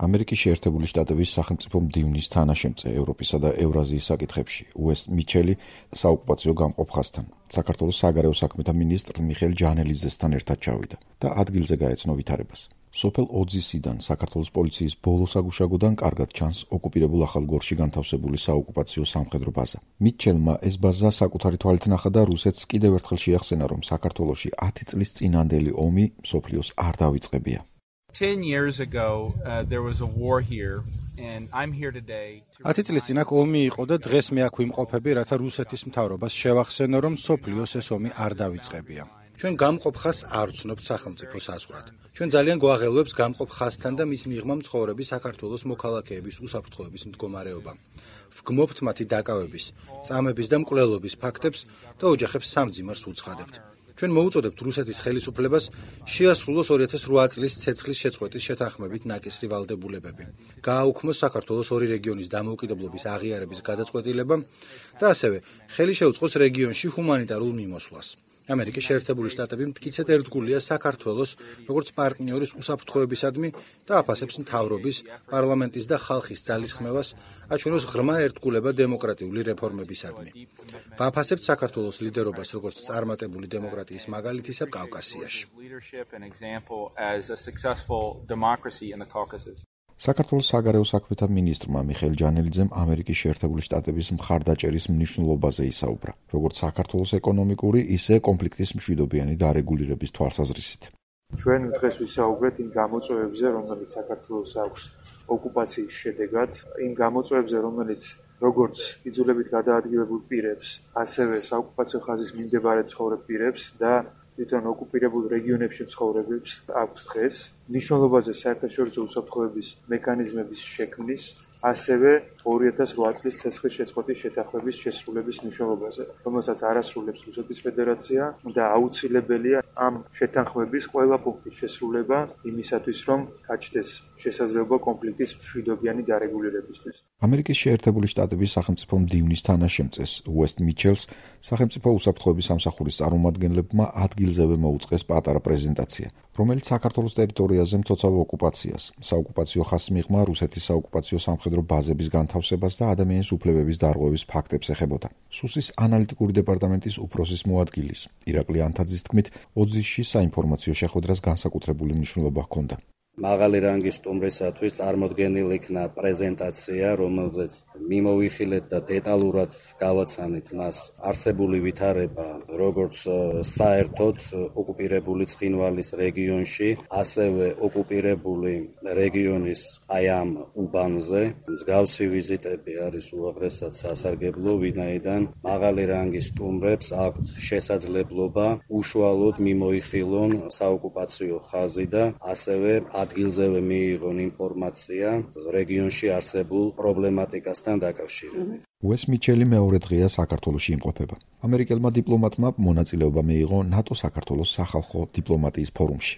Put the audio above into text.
ამერიკის შეერთებული შტატების სახელმწიფო მდივნის თანაშემწე ევროპისა და ევრაზიის საკითხებში უესტ მიჩელი საოკუპაციო გამყოფხასთან საქართველოს საგარეო საქმეთა მინისტრ მიხეილ ჯანელიძესთან ერთად ჩავიდა და ადგილზე გაეცნო ვითარებას. სოფელ ოძისიდან საქართველოს პოლიციის ბოლო საგუშაგოდან კარგად ჩანს ოკუპირებულ ახალგორში განთავსებული საოკუპაციო სამხედრო ბაზა. მიჩელმა ეს ბაზა საკუთარი თვალით ნახა და რუსეთს კიდევ ერთხელ შეახსენა, რომ საქართველოში 10 წლის წინანდელი ომი მსოფლიოს არ დავიწყებია. 10 years ago, there was a war here, and I'm here today. 10 წლის წინ აქ ომი იყო და დღეს მე აქ ვიმყოფები, რათა რუსეთის მთავრობას შევახსენო, რომ სოფლიოს ეს ომი არ დავიწყებია. ჩვენ გამყოფ ხაზს არ ვცნობთ სახელმწიფო საზღვრად. ჩვენ ძალიან გვაღელვებს გამყოფ ხაზთან და მის მიღმა მცხოვრები საქართველოს მოქალაქეების უსაფრთხოების მდგომარეობა. ვგმობთ მათი დაკავების, წამების და მკვლელობის ფაქტებს და ოჯახებს სამძიმარს უცხადებთ. ჩვენ მოუწოდებთ რუსეთის ხელისუფლებას შეასრულოს 2008 წლის ცეცხლის შეწყვეტის შეთანხმებით ნაკისრი ვალდებულებები. გააუქმოს საქართველოს ორი რეგიონის დამოუკიდებლობის აღიარების გადაწყვეტილება და ასევე ხელი შეუწყოს რეგიონში ჰუმანიტარულ მიმოსვლას. ამერიკის შეერთებული შტატები მტკიცედ ერთგულია საქართველოს როგორც პარტნიორის უსაფრთხოებისადმი და აფასებს მთავრობის, პარლამენტის და ხალხის ძალისხმევას აჩვენოს ღრმა ერთგულება დემოკრატიული რეფორმებისადმი. ვაფასებთ საქართველოს ლიდერობას როგორც წარმატებული დემოკრატიის მაგალითისა კავკასიაში. საქართველოს საგარეო საქმეთა მინისტრმა მიხეილ ჯანელიძემ ამერიკის შეერთებული შტატების მხარდაჭერის მნიშვნელობაზე ისაუბრა, როგორც საქართველოს ეკონომიკური, ისე კონფლიქტის მშვიდობიანი დარეგულირების თვალსაზრისით. ჩვენ დღეს ვისაუბრეთ იმ გამოწვევებზე, რომელიც საქართველოს აქვს ოკუპაციის შედეგად, იმ გამოწვევებზე, რომელიც როგორც იძულებით გადაადგილებულ პირებს, ასევე საოკუპაციო ხაზის მიმდებარე ცხოვრებ პირებს და თვითონ ოკუპირებულ რეგიონებში მცხოვრებებს აქვს დღეს, მნიშვნელობაზე საერთაშორისო უსაფრთხოების მექანიზმების შექმნის, ასევე 2008 წლის ცეცხლის შეწყვეტის შეთანხმების შესრულების მნიშვნელობაზე, რომელსაც არასრულებს რუსეთის ფედერაცია და აუცილებელია ამ შეთანხმების ყველა პუნქტის შესრულება იმისათვის, რომ გაჩნდეს შესაძლებლობა კონფლიქტის მშვიდობიანი დარეგულირებისთვის. ამერიკის შეერთებული შტატების სახელმწიფო მდივნის თანაშემწეს უესტ მიჩელს სახელმწიფო უსაფრთხოების სამსახურის წარმომადგენლებმა ადგილზევე მოუწყეს პატარა პრეზენტაცია, რომელიც საქართველოს ტერიტორიაზე მცოცავ ოკუპაციას, საოკუპაციო ხაზს მიღმა რუსეთის საოკუპაციო სამხედრო ბაზების განთავსებას და ადამიანის უფლებების დარღვევის ფაქტებს ეხებოდა. სუსის ანალიტიკური დეპარტამენტის უფროსის მოადგილის ირაკლი ანთაძის თქმით, ოძისში საინფორმაციო შეხვედრას განსაკუთრებული მნიშვნელობა ჰქონდა. მაღალი რანგის სტუმრისათვის წარმოდგენილ იქნა პრეზენტაცია, რომელზეც მიმოვიხილეთ და დეტალურად გავაცანით მას არსებული ვითარება, როგორც საერთოდ ოკუპირებული ცხინვალის რეგიონში, ასევე ოკუპირებული რეგიონის აი ამ უბანზე. მსგავსი ვიზიტები არის უაღრესად სასარგებლო, ვინაიდან მაღალი რანგის სტუმრებს აქვთ შესაძლებლობა უშუალოდ მიმოიხილონ საოკუპაციო ხაზი და ასევე ადგილზევე მიიღონ ინფორმაცია რეგიონში არსებულ პრობლემატიკასთან დაკავშირებით. უესტ მიჩელი მეორე დღეა საქართველოში იმყოფება. ამერიკელმა დიპლომატმა მონაწილეობა მიიღო ნატო-საქართველოს სახალხო დიპლომატიის ფორუმში.